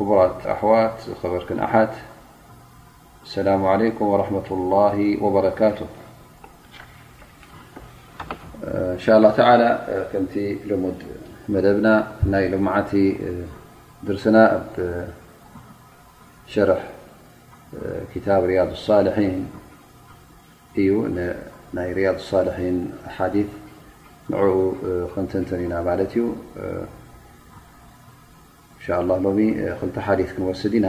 ክቡራት ኣሕዋት፣ ዝኸበርክን ኣሓት፣ ሰላሙ ዓለይኩም ወረሕመቱላሂ ወበረካቱ። እንሻላ ተዓላ፣ ከምቲ ልሙድ መደብና፣ ናይ ሎማዓንቲ ድርስና ኣብ ሸርሕ ኪታብ ሪያዱ ሳልሒን እዩ። ን-፣ ናይ ሪያዱ ሳልሒን ሓዲት ንዕኡ ክንትንትን ኢና ማለት እዩ። እንሻላ ሎሚ ክልተ ሓዲት ክንወስድ ኢና።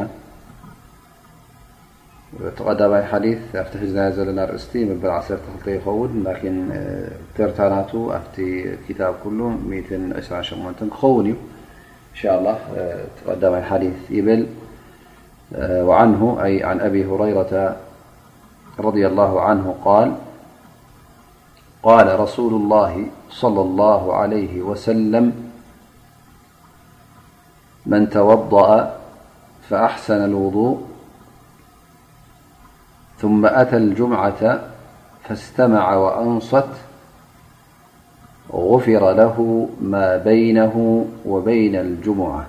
እቲ ቀዳማይ ሓዲት ኣብቲ ሒዝናዮ ዘለና ኣርእስቲ መበል ዓሰርተ ክልተ ይኸውን፣ ላኪን ተርታ ናቱ ኣብቲ ኪታብ ኩሉ ሚእትን ዕስራን ሸሞንተን ክኸውን እዩ። እንሻላ እቲ ቀዳማይ ሓዲት ይብል፣ وعنه، أي عن أبي هريرة رضي الله عنه قال: قال رسول الله صلى الله عليه وسلم: من توضأ فأحسن الوضوء ثم أتى الجمعة فاستمع وأنصت غفر له ما بينه وبين الجمعة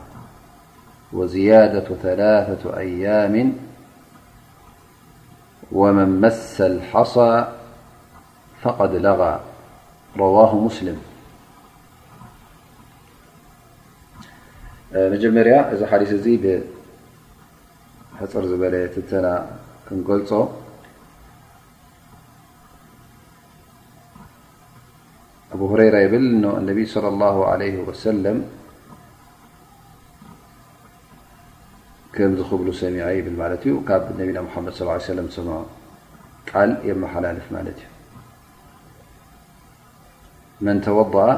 وزيادة ثلاثة أيام ومن مس الحصى فقد لغى. رواه مسلم. መጀመርያ እዚ ሓዲስ እዚ ብሕፅር ዝበለ ትንተና ክንገልፆ። ኣቡ ሁረይራ ይብል፣ ኖ ነቢ ሰለላሁ ዐለይሂ ወሰለም ከምዚ ክብሉ ሰሚዐ ይብል ማለት እዩ። ካብ ነቢና ሙሓመድ ሰለላሁ ዐለይሂ ወሰለም ዝሰምዖ ቃል የመሓላልፍ ማለት እዩ። መን ተወደኣ፣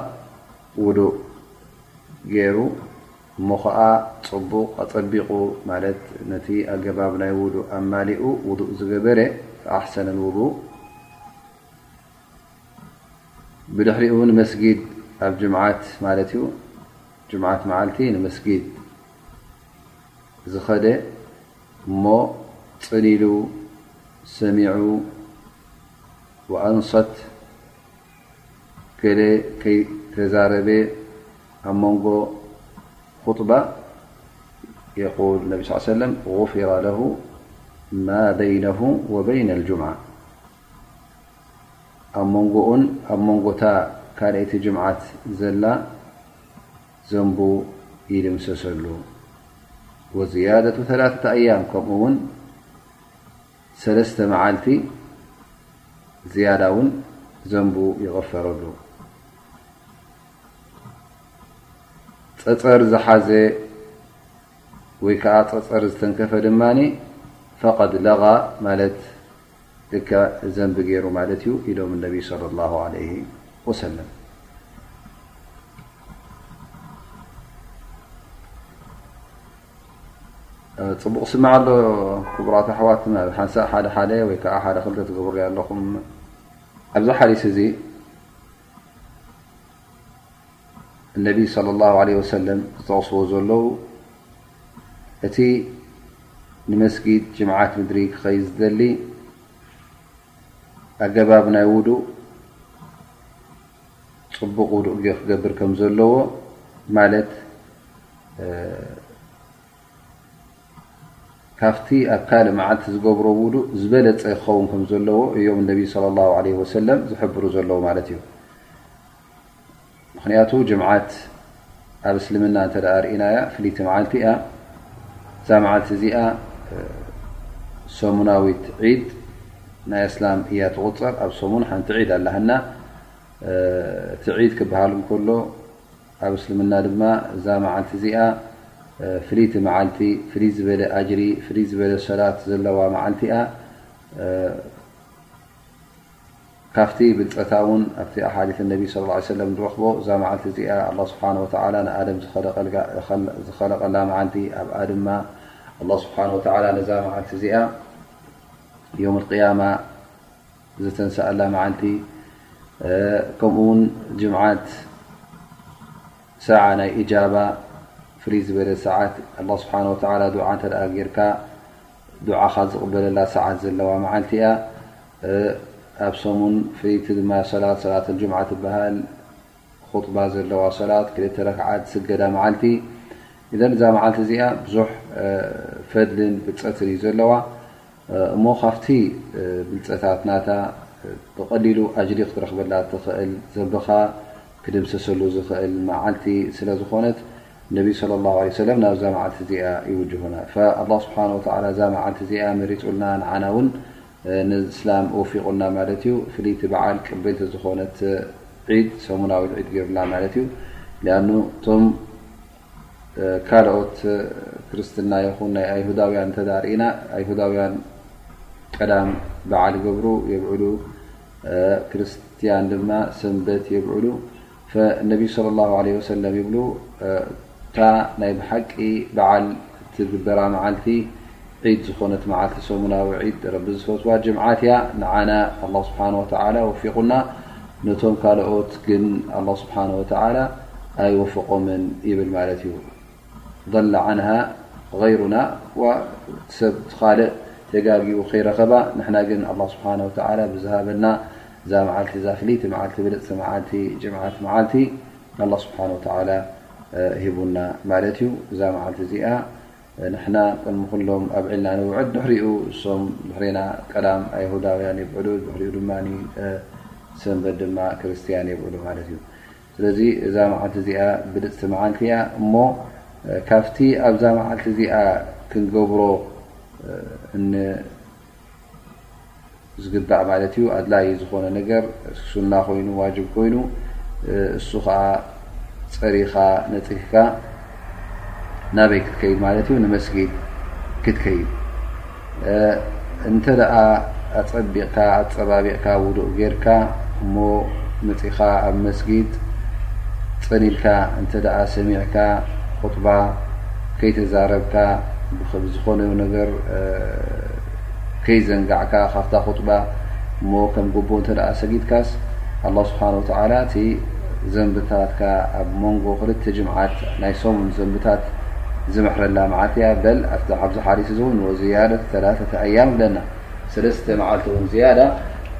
ውዱእ ገይሩ፣ እሞ ኸዓ ጽቡቕ ኣጸቢቑ፣ ማለት ነቲ ኣገባብ ናይ ውዱእ ኣማሊኡ ውዱእ ዝገበረ፣ ፈኣሕሰነ ልውዱእ፣ ብድሕሪኡ ንመስጊድ ኣብ ጅምዓት ማለት እዩ፣ ጅምዓት መዓልቲ ንመስጊድ ዝኸደ እሞ ጽን ኢሉ ሰሚዑ፣ ወኣንሰት፣ ገለ ከይተዛረበ ኣብ መንጎ ኹጥባ፣ የቁል ነቢ ስ ሰለም፣ ጉፊረ ለሁ ማ በይነሁ ወበይነ ልጁምዓ፣ ኣብ መንጎኡን ኣብ መንጎታ ካልኣይቲ ጅምዓት ዘላ ዘንቡ ይድምሰሰሉ። ወዝያደቱ ተላተተ ኣያም፣ ከምኡ እውን ሰለስተ መዓልቲ ዝያዳ እውን ዘንቡ ይቕፈረሉ። ጸጸር ዝሓዘ ወይ ከዓ ጸጸር ዝተንከፈ ድማ ፈቐድ ለጋ ማለት ልክዕ ዘንቢ ገይሩ ማለት እዩ ኢሎም ነቢ ሰለላሁ ዐለይሂ ወሰለም። ጽቡቕ ስማዕ ኣሎ ክቡራት ኣሕዋት፣ ናብ ሓንሳእ ሓደ ሓደ ወይ ከዓ ሓደ ክልተ ትገብሩ ኣለኹም። ኣብዚ ሓዲስ እዚ እነቢ ሰለላሁ ዐለይሂ ወሰለም ዝጠቕስዎ ዘለዉ፣ እቲ ንመስጊድ ጅምዓት ምድሪ ክኸይድ ዝደሊ ኣገባብ ናይ ውዱእ፣ ጽቡቕ ውዱእ ጌ-፣ ክገብር ከም ዘለዎ፣ ማለት፣ እ፣ ካብቲ ኣብ ካልእ መዓልቲ ዝገብሮ ውዱእ ዝበለጸ ክኸውን ከም ዘለዎ እዮም ነቢ ሰለላሁ ዐለይሂ ወሰለም ዝሕብሩ ዘለዉ ማለት እዩ። ምኽንያቱ ጅምዓት ኣብ እስልምና እንተ ደኣ ርኢናያ ፍልይቲ መዓልቲ እያ። እዛ መዓልቲ እዚኣ፣ እ፣ ሰሙናዊት ዒድ ናይ እስላም እያ ትቑጸር። ኣብ ሰሙን ሓንቲ ዒድ ኣላህና። እ፣ እቲ ዒድ ክበሃል እንከሎ ኣብ እስልምና ድማ እዛ መዓልቲ እዚኣ፣ እ፣ ፍልይቲ መዓልቲ፣ ፍልይ ዝበለ ኣጅሪ፣ ፍልይ ዝበለ ሰላት ዘለዋ መዓልቲ እያ። እ፣ ካብቲ ብልጸታ እውን ኣብቲ ኣሓዲት ነቢ ሰለላሁ ዐለይሂ ወሰለም ንረኽቦ፣ እዛ መዓልቲ እዚኣ ኣላህ ስብሓነሁ ወተዓላ ንኣደም ዝኸለቀልጋ-፣ ዝኸል-፣ ዝኸለቀላ መዓልቲ፣ ኣብኣ ድማ ኣላህ ስብሓነሁ ወተዓላ ነዛ መዓልቲ እዚኣ የውመል ቅያማ ዝተንስኣላ መዓልቲ፣ እ፣ ከምኡ እውን ጅምዓት ሰዓ ናይ ኢጃባ፣ ፍልይ ዝበለ ሰዓት፣ ኣላህ ስብሓነሁ ወተዓላ ዱዓ እንተ ደኣ ጌርካ፣ ዱዓኻ ዝቕበለላ ሰዓት ዘለዋ መዓልቲ እያ። እ፣ ኣብ ሰሙን ፍልይቲ ድማ ሰላት፣ ሰላት ኣልጅምዓ ትበሃል፣ ኹጥባ ዘለዋ ሰላት፣ ክልተ ረክዓት ዝስገዳ መዓልቲ፣ ኢዘን እዛ መዓልቲ እዚኣ ብዙሕ ፈድልን ብልፀትን እዩ ዘለዋ። እሞ ካብቲ ብልፀታት ናታ ብቐሊሉ ኣጅሪ ክትረኽበላ ትኽእል፣ ዘንብኻ ክድምሰሰሉ ዝኽእል መዓልቲ ስለ ዝኾነት፣ ነቢ ሰለላሁ ዐለይሂ ወሰለም ናብዛ መዓልቲ እዚኣ ይውጅሁና። ፈኣላህ ስብሓነ ወተዓላ እዛ መዓልቲ እዚኣ መሪፁልና፣ ንዓና እውን ንእስላም ወፊቑና ማለት እዩ። ፍልይቲ በዓል ቅብልቲ ዝኾነት ዒድ፣ ሰሙናዊት ዒድ ገይሩላ ማለት እዩ። ሊኣኑ እቶም ካልኦት ክርስትና ይኹን ናይ ኣይሁዳውያን እንተ ርኢና፣ ኣይሁዳውያን ቀዳም በዓል ይገብሩ የብዕሉ፣ ክርስትያን ድማ ሰንበት የብዕሉ። ፈነቢ ሰለላሁ ዐለይሂ ወሰለም ይብሉ፣ እታ ናይ ብሓቂ በዓል እትግበራ መዓልቲ ዒድ ዝኾነት መዓልቲ፣ ሰሙናዊ ዒድ፣ ረቢ ዝፈትዋ ጅምዓት እያ። ንዓና ኣላህ ስብሓነ ወተዓላ ወፊቑና፣ ነቶም ካልኦት ግን ኣላህ ስብሓነ ወተዓላ ኣይወፈቖምን ይብል ማለት እዩ። ضل عنها غيرنا፣ ወ-፣ ሰብ እቲ ካልእ ተጋጊኡ ከይረኸባ፣ ንሕና ግን ኣላህ ስብሓነ ወተዓላ ብዝሃበና እዛ መዓልቲ፣ እዛ ፍልይቲ መዓልቲ፣ ብልፅቲ መዓልቲ፣ ጅምዓት መዓልቲ ኣላህ ስብሓነ ወተዓላ ሂቡና ማለት እዩ። እዛ መዓልቲ እዚኣ ንሕና ቅድሚ ኩሎም ኣብዒልና ንውዕል፣ ድሕሪኡ እሶም ድሕሬና ቀዳም ኣይሁዳውያን የብዕሉ፣ ድሕሪኡ ድማ ሰንበት ድማ ክርስትያን የብዕሉ ማለት እዩ። ስለዚ እዛ መዓልቲ እዚኣ ብልፅቲ መዓልቲ እያ። እሞ ካብቲ ኣብዛ መዓልቲ እዚኣ ክንገብሮ ን ዝግባእ ማለት እዩ። ኣድላዪ ዝኾነ ነገር፣ ሱና ኮይኑ፣ ዋጅብ ኮይኑ፣ እሱ ኸዓ ጸሪኻ ነጺፍካ ናበይ ክትከይድ ማለት እዩ? ንመስጊድ ክትከይድ። እንተ ደኣ ኣጸቢቕካ፣ ኣጸባቢቕካ፣ ውዱእ ጌርካ እሞ መጺኻ ኣብ መስጊድ ጸኒልካ እንተ ደኣ ሰሚዕካ፣ ኹጥባ ከይተዛረብካ፣ ብኸ-፣ ብዝኾነ ነገር ከይዘንጋዕካ ካብታ ኹጥባ እሞ ከም ግቡእ እንተ ደኣ ሰጊድካስ፣ ኣላህ ስብሓነ ወተዓላ እቲ ዘንብታትካ ኣብ መንጎ ክልተ ጅምዓት ናይ ሰሙን ዘንብታት ዝምሕረላ መዓልቲ እያ። በል ኣብቲ፣ ኣብዚ ሓዲስ እዚ እውን ወዝያደት ተላተተ ኣያም ይብለና። ሰለስተ መዓልቲ እውን ዝያዳ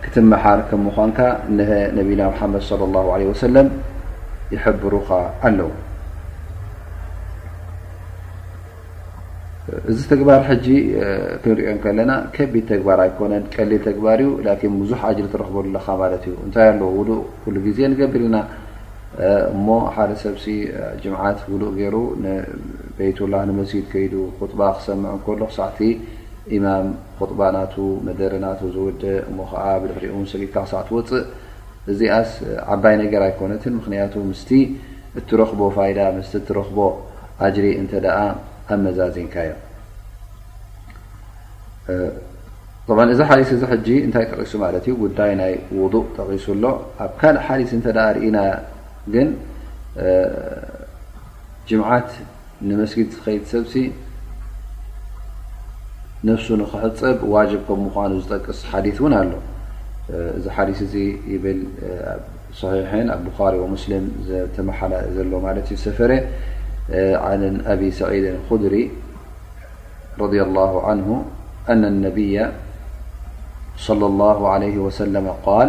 ክትመሓር ከም ምዃንካ እነሀ ነቢና ሙሓመድ ሰለላሁ ዐለይሂ ወሰለም ይሕብሩኻ ኣለዉ። እዚ ተግባር ሕጂ ክንሪኦ ከለና ከቢድ ተግባር ኣይኮነን፣ ቀሊል ተግባር እዩ። ላኪን ብዙሕ ኣጅሪ ትረኽበሉ ኣለኻ ማለት እዩ። እንታይ ኣሎ? ውዱእ ኩሉ ግዜ ንገብር ኢና። እሞ ሓደ ሰብሲ ጅምዓት ውዱእ ገይሩ ንበይቱላህ ንመስጊድ ከይዱ ኹጥባ ክሰምዕ እንከሎ፣ ክሳዕቲ ኢማም ኹጥባ ናቱ መደረ ናቱ ዝውድእ፣ እሞ ኸዓ ብድሕሪኡ እውን ሰጊድካ ክሳዕ ትወፅእ፣ እዚኣስ ዓባይ ነገር ኣይኮነትን። ምኽንያቱ ምስቲ እትረኽቦ ፋይዳ፣ ምስቲ እትረኽቦ ኣጅሪ እንተ ደኣ ኣመዛዚንካዮ። እ፣ ጠብዓን እዚ ሓዲስ እዚ ሕጂ እንታይ ጠቒሱ ማለት እዩ? ጉዳይ ናይ ውዱእ ጠቒሱ ኣሎ። ኣብ ካልእ ሓዲስ እንተ ደኣ ርኢና ግን፣ እ፣ ጅምዓት ንመስጊድ ዝኸይድ ሰብሲ ነፍሱ ንኽሕጸብ ዋጅብ ከም ምዃኑ ዝጠቅስ ሓዲስ እውን ኣሎ። እ፣ እዚ ሓዲስ እዚ ይብል፣ እ፣ ኣብ ሰሒሐን ኣብ ቡኻሪ ወሙስሊም ዝተመሓላ ዘሎ ማለት እዩ ዝሰፈረ፣ እ፣ عن أبي سعيد الخدري رضي الله عنه أن النبي صلى الله عليه وسلم قال: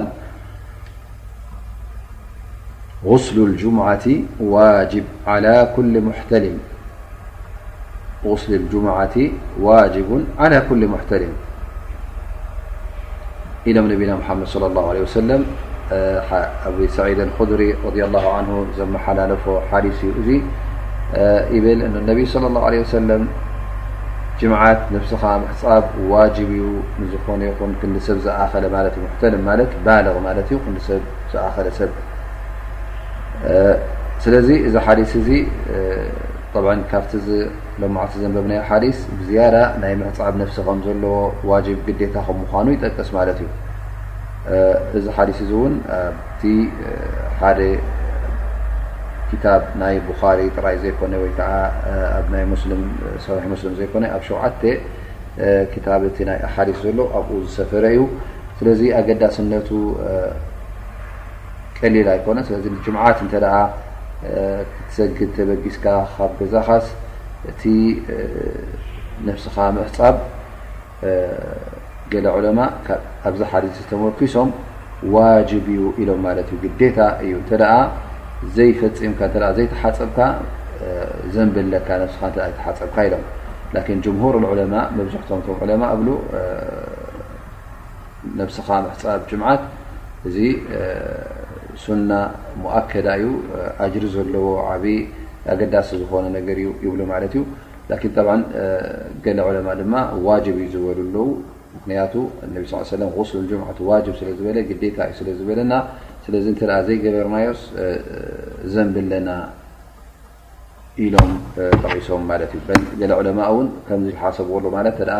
غسل الجمعة واجب على كل محتلم. غسل الجمعة واجب على كل محتلم. ኢሎም ነቢና ሙሓመድ ሰለላሁ ዐለይሂ ወሰለም፣ እ፣ ሓ-፣ ኣቢ ሰዒድ ኣልኹድሪ ረዲየላሁ ዐንሁ ዘመሓላለፎ ሓዲስ እዩ እዚ። እ፣ ይብል፣ እነ ነቢ ሰለላሁ ዐለይሂ ወሰለም፣ ጅምዓት ነብስኻ ምሕጻብ ዋጅብ እዩ፣ ንዝኾነ ይኹን ክንዲ ሰብ ዝኣኸለ ማለት እዩ። ሙሕተልም ማለት ባልቕ ማለት እዩ፣ ክንዲ ሰብ ዝኣኸለ ሰብ። እ፣ ስለዚ እዚ ሓዲስ እዚ፣ እ፣ ጠብዓን ካብቲ እዚ ሎማዕቲ ዘንበብናዮ ሓዲስ ብዝያዳ ናይ ምሕጻብ ነፍሲ ከም ዘለዎ ዋጅብ ግዴታ ከም ምዃኑ ይጠቅስ ማለት እዩ። እ፣ እዚ ሓዲስ እዚ እውን ኣብቲ፣ እ፣ ሓደ ኪታብ ናይ ቡኻሪ ጥራይ ዘይኮነ ወይ ከዓ፣ እ፣ ኣብ ናይ ሙስሊም፣ እ፣ ሰሒሕ ሙስሊም ዘይኮነ ኣብ ሸውዓተ፣ እ፣ ኪታብ እቲ ናይ ኣሓዲስ ዘሎ ኣብኡ ዝሰፈረ እዩ። ስለዚ ኣገዳስነቱ፣ እ፣ ቀሊል ኣይኮነን። ስለዚ ንጅምዓት እንተ ደኣ፣ እ፣ ክትሰግድ ተበጊስካ ካብ ገዛኻስ እቲ፣ እ፣ ነፍስኻ ምሕጻብ፣ እ፣ ገለ ዑለማ ካብ፣ ኣብዚ ሓዲስ ተመርኪሶም ዋጅብ እዩ ኢሎም ማለት እዩ፣ ግዴታ እዩ። እንተ ደኣ ዘይፈጺምካ፣ እንተ ደኣ ዘይተሓጸብካ፣ ዘንብለካ ነብስኻ እንተ ኣይተሓጸብካ ኢሎም። ላኪን ጅምሁር ዑለማ፣ መብዝሕቶም ቶም ዑለማ እብሉ፣ ነብስኻ ምሕጻብ ጅምዓት እዚ ሱና ሙኣከዳ እዩ፣ ኣጅሪ ዘለዎ ዓቢ ኣገዳሲ ዝኾነ ነገር እዩ ይብሉ ማለት እዩ። ላኪን ጠብዓን ገለ ዑለማ ድማ ዋጅብ እዩ ዝበሉ ኣለዉ። ምክንያቱ ነቢ ስ ሰለም ጉስል ጅምዓት ዋጅብ ስለ ዝበለ፣ ግዴታ እዩ ስለ ዝበለና፣ ስለዚ እንተ ደኣ ዘይገበርናዮስ ዘንብለና ኢሎም ጠቒሶም ማለት እዩ። በል ገለ ዑለማ እውን ከምዚ ሓሰብዎ ኣሎ ማለት፣ እንተ ደኣ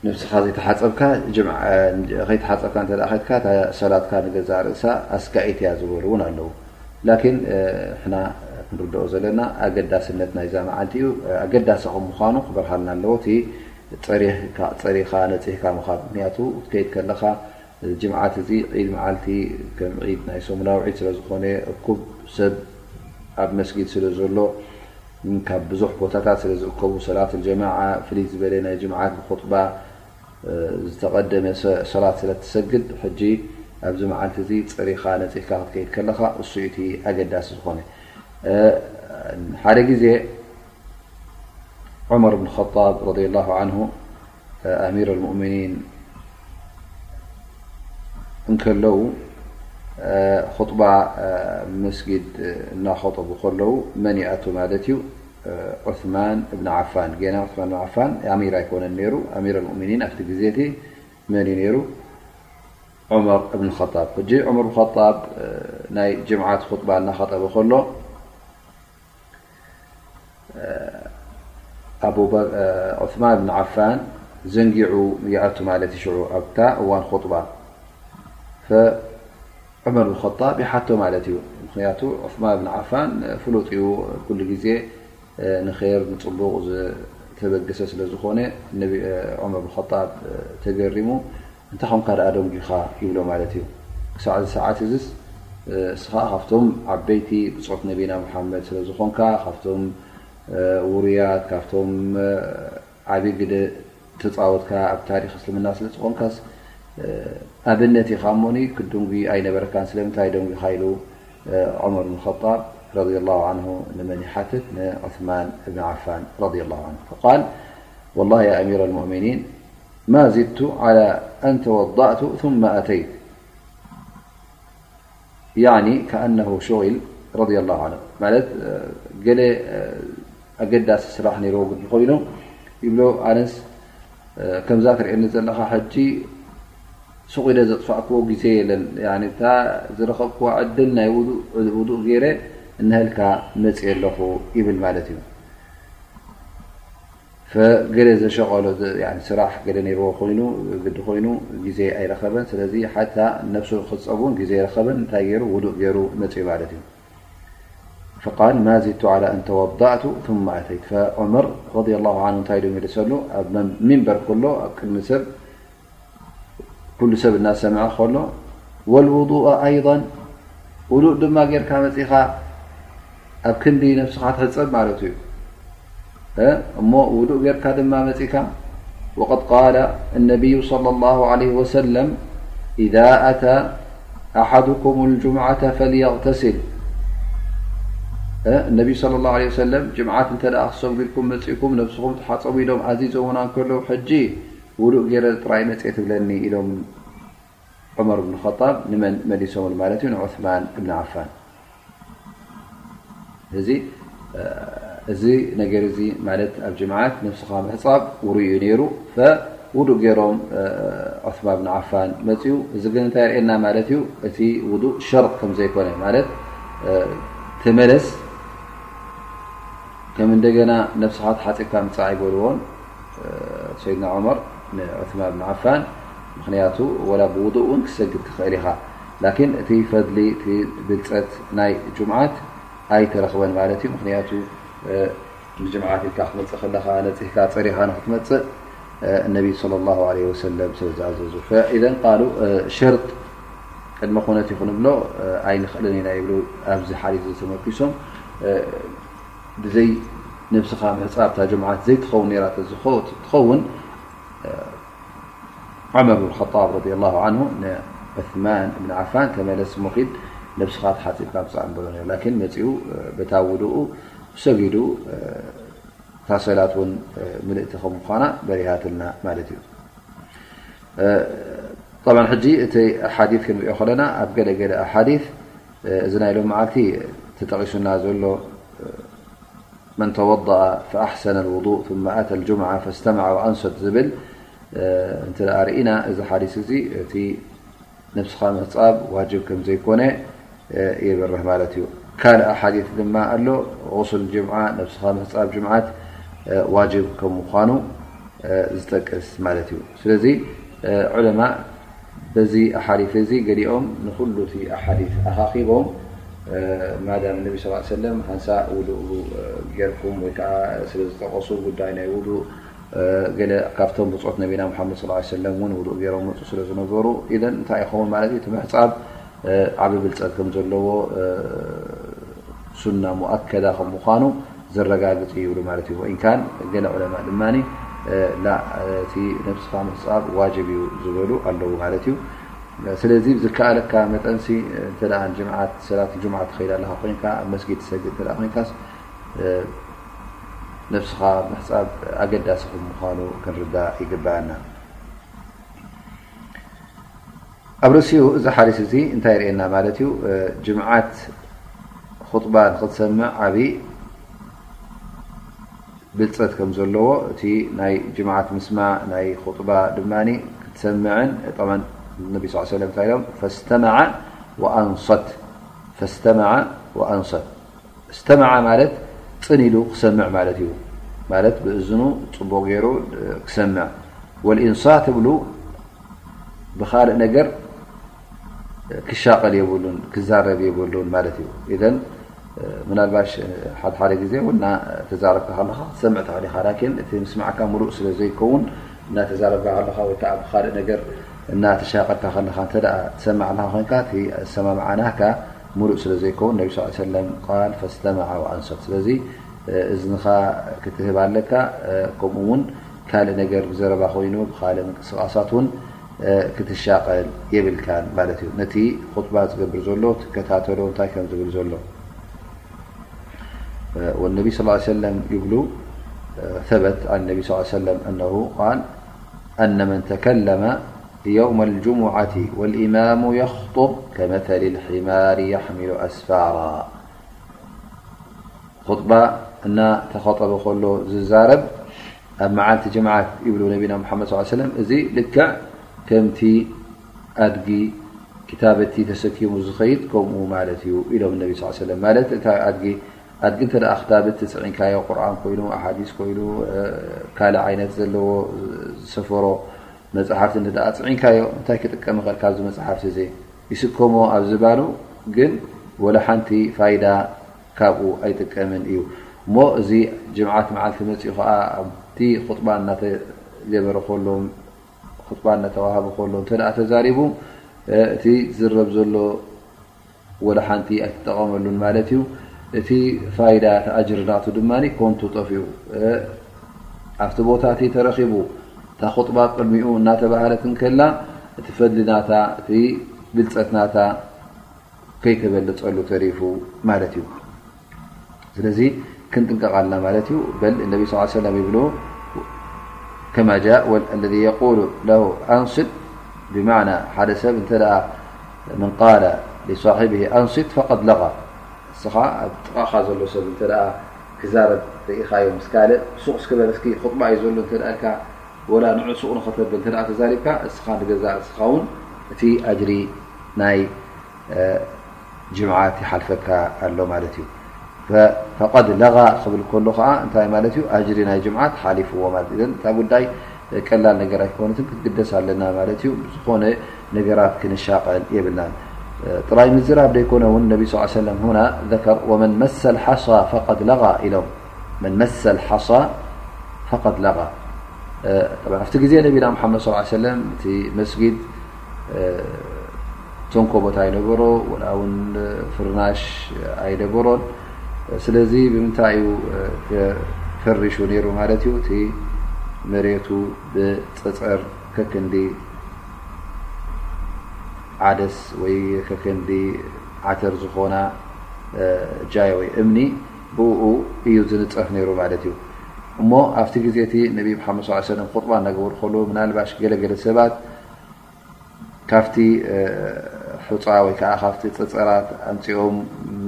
ነብስኻ ዘይተሓጸብካ፣ ጅምዓ ከይተሓጸብካ እንተ ደኣ ከድካ፣ እታ ሰላትካ ንገዛእ ርእሳ ኣስጋኢት እያ ዝበሉ እውን ኣለዉ። ላኪን ሕና ክንርድኦ ዘለና ኣገዳስነት ናይዛ መዓልቲ እዩ። ኣገዳሲ ከም ምዃኑ ክበርሃልና ኣለዎ። እቲ ጸሪኻ፣ ጸሪኻ ነጺህካ ምኻድ፣ ምክንያቱ ክትከይድ ከለኻ ጅምዓት እዚ ዒድ መዓልቲ ከም ዒድ ናይ ሰሙናዊ ዒድ ስለ ዝኾነ፣ እኩብ ሰብ ኣብ መስጊድ ስለ ዘሎ፣ ካብ ብዙሕ ቦታታት ስለ ዝእከቡ፣ ሰላት ጀማዓ ፍልይ ዝበለ ናይ ጅምዓት ብኹጥባ ዝተቐደመ ሰ-፣ ሰላት ስለ ትሰግድ፣ ሕጂ ኣብዚ መዓልቲ እዚ ጸሪኻ ነጺህካ ክትከይድ ከለኻ፣ እሱ እዩ እቲ ኣገዳሲ ዝኾነ። ሓደ ግዜ ዑመር ብን ኸጣብ ረዲየላሁ ዓንሁ ኣሚር ኣልሙእሚኒን እንከለዉ፣ ኹጥባ መስጊድ እናኸጠቡ ከለዉ መን ይኣቱ ማለት እዩ? ዑስማን እብን ዓፋን። ጌና ዑስማን እብን ዓፋን ኣሚር ኣይኮነን ነይሩ። ኣሚር ኣልሙእሚኒን ኣብቲ ግዜ እቲ መን እዩ ነይሩ? ዑመር እብን ኸጣብ። ሕጂ ዑመር ብን ኸጣብ ናይ ጅምዓት ኹጥባ እናኸጠበ ከሎ፣ ኣቡበ-፣ ዑስማን ብን ዓፋን ዘንጊዑ ይኣቱ ማለት እዩ። ሽዑ ኣብታ እዋን ኹጥባ ፈ-፣ ዑመር ብን ኸጣብ ይሓቶ ማለት እዩ። ምክንያቱ ዑስማን ብን ዓፋን ፍሉጥ እዩ፣ ኩሉ ግዜ ንኸይር ንጽቡቕ ዝተበገሰ ስለ ዝኾነ፣ ነቢ-፣ ዑመር ብን ኸጣብ ተገሪሙ፣ "እንታይ ኾንካ ደኣ ደንጒኻ?" ይብሎ ማለት እዩ። ክሳዕ እዚ ሰዓት እዚስ፣ እስኻ ካብቶም ዓበይቲ ብጾት ነቢና ሙሓመድ ስለ ዝኾንካ፣ ካብቶም ውሩያት፣ ካብቶም ዓቢ ግደ ተጻወትካ ኣብ ታሪኽ እስልምና ስለ ዝኾንካስ፣ ኣብነት ኢኻ እሞኒ፣ ክትድንጉ ኣይነበረካን፣ ስለምንታይ ደንጒኻ? ኢሉ ዑመር ብን ኸጣብ ረዲየላሁ ዓንሁ ንመን ይሓትት? ንዑስማን እብን ዓፋን ረዲየላሁ ዓንሁ። ፈቃል፣ "ወላሂ ያ ኣሚር ኣልሙእሚኒን፣ ማ ዚድቱ ዓላ ኣን ተወዳእቱ ثመ ኣተይት." ያዕኒ ከኣነሁ ሹጊል ረዲየላሁ ዓንሁ። ማለት፣ ገለ ኣገዳሲ ስራሕ ነይርዎ ግዲ ኮይኑ ይብሎ፣ ኣነስ ከምዛ ትርእየኒ ዘለኻ ሕጂ ሱቕ ኢለ ዘጥፋእክዎ ግዜ የለን። ያዕኒ እታ ዝረኸብክዋ ዕድል ናይ ውዱእ፣ ውዱእ ገይረ እነሀልካ መጽየ ኣለኹ ይብል ማለት እዩ። ፈገለ ዘሸቐሎ ዝ-፣ ያኒ ስራሕ ገለ ነይርዎ ኮይኑ፣ ግዲ ኮይኑ ግዜ ኣይረኸበን። ስለዚ ሓታ ነብሱ ክጸብ እውን ግዜ ኣይረኸበን። እንታይ ገይሩ? ውዱእ ገይሩ መጽዩ ማለት እዩ። ፈቃል፣ "ማ ዚድቱ ዓላ ኣን ተወዳእቱ ثመ ኣተይት." ፈዑመር ረዲየላሁ ዓንሁ እንታይ ኢሉ መሊሰሉ? ኣብ መን-፣ ሚንበር ከሎ ኣብ ቅድሚ ሰብ፣ ኩሉ ሰብ እናሰምዐ ከሎ፣ "ወልውዱእ ኣይضን፣ ውዱእ ድማ ጌርካ መጺኻ፣ ኣብ ክንዲ ነብስኻ ትሕጸብ ማለቱ እዩ። እ፣ እሞ ውዱእ ጌርካ ድማ መጺካ፣ ወቀድ ቃለ ነቢዩ ሰለላሁ ዐለይሂ ወሰለም፣ ኢዛ ኣታ ኣሓዱኩም ልጁምዓተ ፈልየቅተሲል። እ፣ ነቢዩ ሰለላሁ ዐለይሂ ወሰለም፣ ጅምዓት እንተ ደኣ ክሰግዱ ኢልኩም መጺእኩም፣ ነብስኹም ተሓጸቡ ኢሎም ኣዚዞምና እንከለዉ፣ ሕጂ ውዱእ ገይረ ጥራይ መጽየ ትብለኒ?" ኢሎም ዑመር ብን ኸጣብ ንመን መሊሶምሉ ማለት እዩ? ንዑስማን እብን ዓፋን። እዚ፣ እዚ ነገር እዚ ማለት ኣብ ጅምዓት ነብስኻ ምሕጻብ ውሩይ እዩ ነይሩ። ፈውዱእ ገይሮም ዑስማን ብን ዓፋን መጽኡ። እዚ ግን እንታይ የርእየና ማለት እዩ? እቲ ውዱእ ሸርጥ ከም ዘይኮነ ማለት፣ ተመለስ፣ ከም እንደገና ነብስኻ ተሓጺብካ ምጻእ ኣይበልዎን፣ እ፣ ሰይድና ዑመር ንዑስማን ብን ዓፋን። ምኽንያቱ ወላ ብውዱእ እውን ክትሰግድ ትኽእል ኢኻ። ላኪን እቲ ፈድሊ፣ እቲ ብልጸት ናይ ጁምዓት ኣይተረኽበን ማለት እዩ። ምኽንያቱ፣ እ፣ ንጅምዓት ኢልካ ክትመጽእ ከለኻ ነጺህካ ጸሪኻ ንኽትመጽእ፣ እ፣ ነቢ ሰለላሁ ዐለይሂ ወሰለም ስለ ዝኣዘዙ። ፈኢዘን ቃሉ፣ እ፣ ሸርጥ ቅድመ ኩነት እዩ ክንብሎ፣ እ፣ ኣይንኽእልን ኢና ይብሉ። ኣብዚ ሓዲስ እዚ ተመርኪሶም፣ እ፣ ብዘይ ነብስኻ ምሕጻብ እታ ጅምዓት ዘይትኸውን ነይራ ተዝኾ-፣ ትኸውን፣ ዑመር ብን ኸጣብ ረዲየላሁ ዐንሁ ንዑስማን እብን ዓፋን፣ "ተመለስ እሞ ኺድ፣ ነብስኻ ተሓፂብካ ምፃእ ንበሎ ነይሩ። ላኪን መፂኡ በታ ውድኡ ሰጊዱ፣ እታ ሰላት እውን ምልእቲ ከም ምዃና በሪሃትልና ማለት እዩ። ጠብዓን ሕጂ እቲ ሓዲት ክንሪኦ ከለና ኣብ ገለ ገለ ሓዲት እዚ ናይ ሎም መዓልቲ ተጠቒሱና ዘሎ من توضأ فأحسن الوضوء ثم أتى الجمعة فاستمع وأنصت ዝብል እንተ ደኣ ርኢና፣ እዚ ሓዲስ እዚ እቲ ነብስኻ ምሕጻብ ዋጅብ ከም ዘይኮነ የብርህ ማለት እዩ። ካልእ ሓዲስ ድማ ኣሎ፣ غسل الجمعة፣ ነብስኻ ምሕጻብ ጅምዓት ዋጅብ ከም ምዃኑ ዝጠቅስ ማለት እዩ። ስለዚ ዑለማ በዚ ኣሓዲት እዚ ገሊኦም ንኹሉ እቲ ኣሓዲት ኣኻኺቦም፣ ማዳም ነቢ ስ ሰለም ሓንሳእ ውዱእ ጌርኩም ወይ ከዓ ስለ ዝጠቐሱ ጉዳይ ናይ ውዱእ፣ ገለ ካብቶም ብጾት ነቢና ሙሓመድ ስ ሰለም እውን ውዱእ ገይሮም መፁ ስለ ዝነበሩ፣ ኢዘን እንታይ ይኸውን ማለት እዩ? እቲ ምሕፃብ ዓቢ ብልፀት ከም ዘለዎ ሱና ሙኣከዳ ከም ምዃኑ ዘረጋግጽ እዩ ይብሉ ማለት እዩ። ወኢን ካን ገለ ዑለማ ድማ ላ፣ እቲ ነብስኻ ምሕጻብ ዋጅብ እዩ ዝበሉ ኣለዉ ማለት እዩ። ስለዚ ዝከኣለካ መጠንሲ እንተ ደኣ ጅምዓት፣ ሰላት ጅምዓት ትኸይድ ኣለኻ ኮይንካ፣ ኣብ መስጊድ ትሰግድ እንተ ደኣ ኮይንካስ፣ ነብስኻ ምሕጻብ ኣገዳሲ ከም ምዃኑ ክንርዳእ ይግብኣና። ኣብ ርእሲኡ እዚ ሓዲስ እዚ እንታይ የርእየና ማለት እዩ? ጅምዓት ኹጥባ ንኽትሰምዕ ዓቢ ብልጸት ከም ዘለዎ፣ እቲ ናይ ጅምዓት ምስማዕ ናይ ኹጥባ ድማ ክትሰምዕን፣ ጠብዓን ነቢ ስ ሰለም እንታይ ኢሎም? ፈስተመዐ ወኣንሰት፣ ፈስተመዐ ወኣንሰት። እስተመዐ ማለት ጽን ኢሉ ክሰምዕ ማለት እዩ። ማለት ብእዝኑ ጽቡቕ ገይሩ ክሰምዕ። ወልኢንሳት ትብሉ ብኻልእ ነገር ክሻቐል የብሉን፣ ክዛረብ የብሉን ማለት እዩ። ኢዘን ምናልባሽ ሓደ ሓደ ግዜ እውን እናተዛረብካ ከለኻ ክትሰምዕ ትኽእል ኢኻ። ላኪን እቲ ምስማዕካ ምሉእ ስለ ዘይከውን እናተዛረብካ ከለኻ ወይ ከዓ ብኻልእ ነገር እናተሻቐልካ ከለኻ እንተ ደኣ ትሰምዕ ኣለኻ ኮይንካ፣ እቲ ኣሰማምዓ ናህካ ምሉእ ስለ ዘይከውን፣ ነቢ ስ ሰለም ቃል ፈስተመዐ ወኣንሰት። ስለዚ እዝንኻ ክትህብ ኣለካ። ከምኡ እውን ካልእ ነገር ብዘረባ ኮይኑ ብኻልእ ምንቅስቓሳት እውን ክትሻቐል የብልካን ማለት እዩ። ነቲ ኹጥባ ዝገብር ዘሎ ትከታተሎ እንታይ ከም ዝብል ዘሎ። والنبي صلى الله عليه وسلم يقول، ثبت عن النبي صلى الله عليه وسلم أنه قال: أن من تكلم يوم الجمعة والإمام يخطب كمثل الحمار يحمل أسفارا. ኹጥባ እናተኸጠበ ከሎ ዝዛረብ ኣብ መዓልቲ ጅምዓት ይብሉ ነቢና ሙሓመድ ስ ሰለም፣ እዚ ልክዕ ከምቲ ኣድጊ ክታበቲ ተሰኪሙ ዝኸይድ ከምኡ ማለት እዩ ኢሎም ነቢ ስ ሰለም። ማለት እታ ኣድጊ ኣድጊ እንተ ደኣ ክታብት ትጽዒንካዮ፣ ቁርኣን ኮይኑ፣ ኣሓዲስ ኮይኑ፣ ካልእ ዓይነት ዘለዎ ዝሰፈሮ መጽሓፍቲ እንተ ደኣ ጽዒንካዮ፣ እንታይ ክጥቀም ይኽእል ካብዚ መጽሓፍቲ እዚ? ይስከሞ ኣብ ዝባኑ ግን ወላ ሓንቲ ፋይዳ ካብኡ ኣይጥቀምን እዩ። እሞ እዚ ጅምዓት መዓልቲ መጺኡ ኸዓ ኣብቲ ኹጥባ እናተገበረ ከሎ፣ ኹጥባ እናተዋሃበ ከሎ እንተ ደኣ ተዛሪቡ፣ እቲ ዝረብ ዘሎ ወላ ሓንቲ ኣይትጠቐመሉን ማለት እዩ። እቲ ፋይዳ፣ እቲ ኣጅሪ ናቱ ድማ ኮንቱ ጠፊኡ። ኣብቲ ቦታ እቲ ተረኺቡ፣ እታ ኹጥባ ቅድሚኡ እናተባህለት እንከላ፣ እቲ ፈድሊ ናታ፣ እቲ ብልጸት ናታ ከይተበለጸሉ ተሪፉ ማለት እዩ። ስለዚ ክንጥንቀቕ ኣለና ማለት እዩ። በል ነቢ ስ ሰለም ይብሉ፣ ከማ ጃእ፣ ወል-፣ الذي يقول له أنصت، ብማዕና ሓደ ሰብ እንተ ደኣ من قال لصاحبه أنصت فقد لغى، ንስኻ ኣብ ጥቓኻ ዘሎ ሰብ እንተ ደኣ ክዛረብ ርኢኻዮ ምስ ካልእ፣ ሱቕ እስኪ በል እስኪ፣ ኹጥባ እዩ ዘሎ እንተ ደኣ ኢልካ፣ ወላ ንዑ ሱቕ ንኸተብል እንተ ደኣ ተዛሪብካ፣ እስኻ ንገዛእ ርእስኻ እውን እቲ ኣጅሪ ናይ እ፣ ጅምዓት ይሓልፈካ ኣሎ ማለት እዩ። ፈ-፣ ፈቀድ ለጋ ክብል ከሎ ኸዓ እንታይ ማለት እዩ? ኣጅሪ ናይ ጅምዓት ሓሊፍዎ ማለት እዩ። እዘን እታ ጉዳይ ቀላል ነገር ኣይኮነትን፣ ክትግደስ ኣለና ማለት እዩ። ዝኾነ ነገራት ክንሻቐል የብልናን። እ፣ ጥራይ ምዝራብ ደይኮነ እውን ነቢ ስ ሰለም ሁና ዘከር፣ ወመን መሰል ሓሳ ፈቀድ ለጋ ኢሎም። መን መሰል ሓሳ ፈቀድ ለጋ። እ፣ ጠብዓ ኣብቲ ግዜ ነቢና ሙሓመድ ስ ሰለም እቲ መስጊድ፣ እ፣ ተንኮቦት ኣይነበሮ፣ ወላ እውን ፍርናሽ ኣይነበሮን። ስለዚ ብምንታይ እዩ፣ እ፣ ተፈሪሹ ነይሩ ማለት እዩ? እቲ መሬቱ ብጸጸር ከክንዲ ዓደስ ወይ ከክንዲ ዓተር ዝኾና ጃይ ወይ እምኒ ብኡ እዩ ዝንፀፍ ነይሩ ማለት እዩ። እሞ ኣብቲ ግዜ እቲ ነቢ ሓመድ ስ ሰለም ኹጥባ እናገበሩ ከለዉ ምናልባሽ ገለገለ ሰባት ካብቲ ሑፃ ወይ ከዓ ካብቲ ፀፀራት ኣምፂኦም